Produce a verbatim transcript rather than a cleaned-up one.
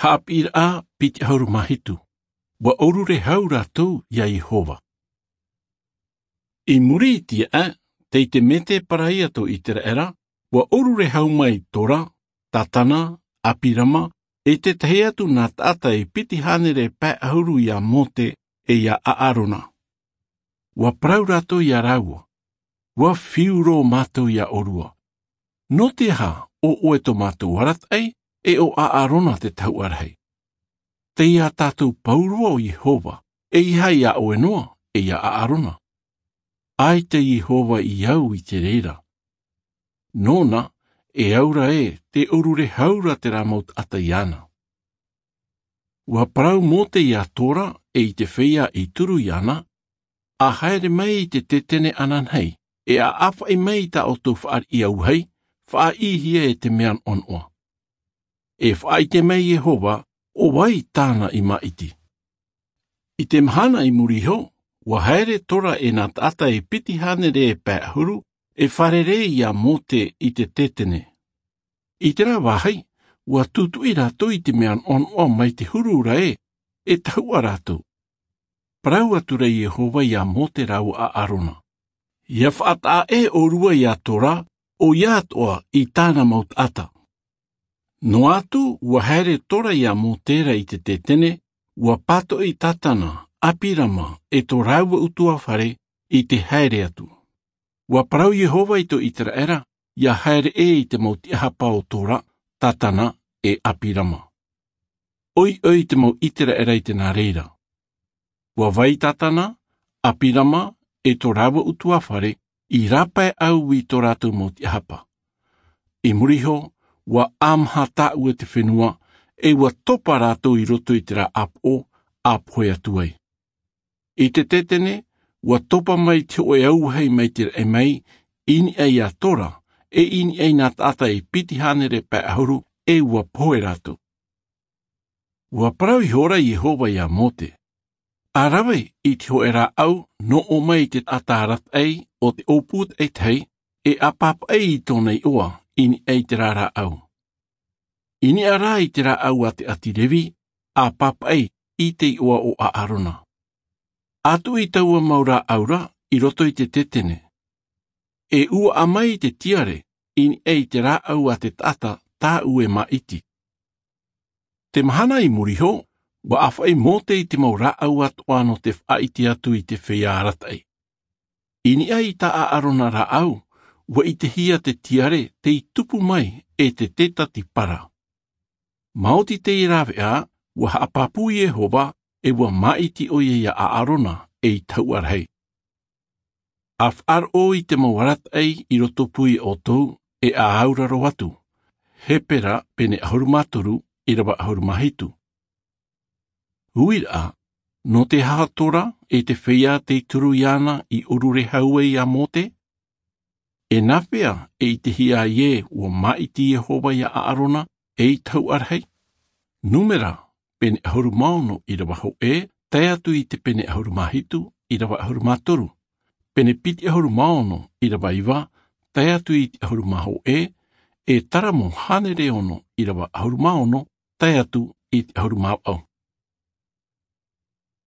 Haʻapiʻiraʻa piti ʻahuru mā hitu. Ua ʻorure hau rātou iā Iehova. I muri i te aʻe, tei te mētēparaia tō Iteraera, ua ʻorure hau mai Tora, Tatana, Apirama, e te tahi atu nā taʻata e piti hānere pae ʻahuru iā Mōte e iā Aarona. Ua parau rātou iā rāua, ua fiu roa mātou iā ʻōrua. Nō te aha ʻo ʻoe tō mātou arataʻi, e ʻo Aarona te tahuʻa rahi? Tei iā tātou pauroa ʻo Iehova, e ʻeiaha iā ʻoe noa, e iā Aarona. ʻAita Iehova i au i te reira. Nōna, e au ra ē, tē ʻorure hau ra terā mau taʻata iāna. Ua parau Mōte iā Tora, e i te feiā i turu iāna, ʻa haere mai i te tētene ananahi, e ʻa ʻāfaʻi mai i tā ʻoutou fāriʻi auahi, faʻaʻīhia e te mea noʻanoʻa. E faʻaʻite mai Iehova, ʻo vai tāna i māʻiti. I te mahana i muri iho, ua haere Tora e nā taʻata e piti hānere e pae ʻahuru, e fārerei iā Mōte i te tētene. I terā vāhi, ua tūtuʻi rātou i te mea noʻanoʻa mai te huru ra ē, e tahuʻa rātou. Parau atu ra Iehova iā Mōte rāua ʻo Aarona. ʻIa faʻataʻa ʻē ʻōrua iā Tora, ʻoia atoʻa i tāna mau taʻata. Noa atu, ua haere Tora iā Mōte ra i te tētene, ua pātoʻi Tatana, Apirama, e tō rāua ʻutuāfare i te haere atu. Ua parau Iehova i tō Iteraera, ʻia haere ʻē i te mau tiʻahapa o Tora, Tatana, e Apirama. ʻOiʻoi te mau Iteraera i te nā reira. Ua vai Tatana, Apirama, e tō rāua ʻutuāfare, i rāpae au i tō rātou mau tiʻahapa. I muri iho, ua ʻāmaha tāʻue te fenua, e ua topa rātou i roto i terā ʻāpoʻo, ʻa pohe atu ai. I te tētene, ua topa mai te hōʻē auahi mai te raʻi mai, i niʻa iā Tora, e i niʻa i nā taʻata e piti hānere pae ʻahuru, e ua pohe rātou. Ua parau ihora Iehova iā Mōte. ʻA rave i te hōʻē rāʻau, nō ʻō mai i te taʻata arataʻi o te ʻōpū taʻitahi, e ʻa pāpaʻi i tōna iʻoa, i niʻa i terā rāʻau. I niʻa rā i te rāʻau a te ʻāti Revi, ʻa pāpaʻi i te iʻoa o Aarona. ʻA tuʻi taua mau rāʻau ra i roto i te tētene. E ʻuaʻa mai i te tiare, i niʻa i te rāʻau a te taʻata tāʻu e māʻiti. Te mahana i muri iho, ua ʻāfaʻi Mōte i te mau rāʻau atoʻa nō te faʻaʻite atu i te feiā arataʻi. I niʻa i tā Aarona rāʻau, ua ʻitehia te tiare tei tupu mai e te tētatipara. Maoti teie rāveʻa, ua haʻapāpū Iehova, e ua māʻiti ʻoia iā Aarona, e i tahuʻa rahi. ʻA faʻaroʻo i te mau arataʻi i roto pū iā ʻoutou, e ʻa auraro atu. Hepera pene ʻahuru mā toru, ʻīrava ʻahuru mā hitu. Uiraʻa, nō te aha Tora, e te feiā tei turu iāna i ʻorure hau ai iā Mōte? E nāfea e ʻitehia ai ē ua māʻiti Iehova iā Aarona, e i tahuʻa rahi? Numera, pene ʻahuru mā ono ʻīrava hōʻē, tae atu i te pene ʻahuru mā hitu ʻīrava ʻahuru mā toru. Pene piti ʻahuru mā ono ʻīrava iva, tae atu i te ʻahuru mā hōʻē, e Taramo hānere ono ʻīrava ʻahuru mā ono, tae atu i te ʻahuru mā vaʻu.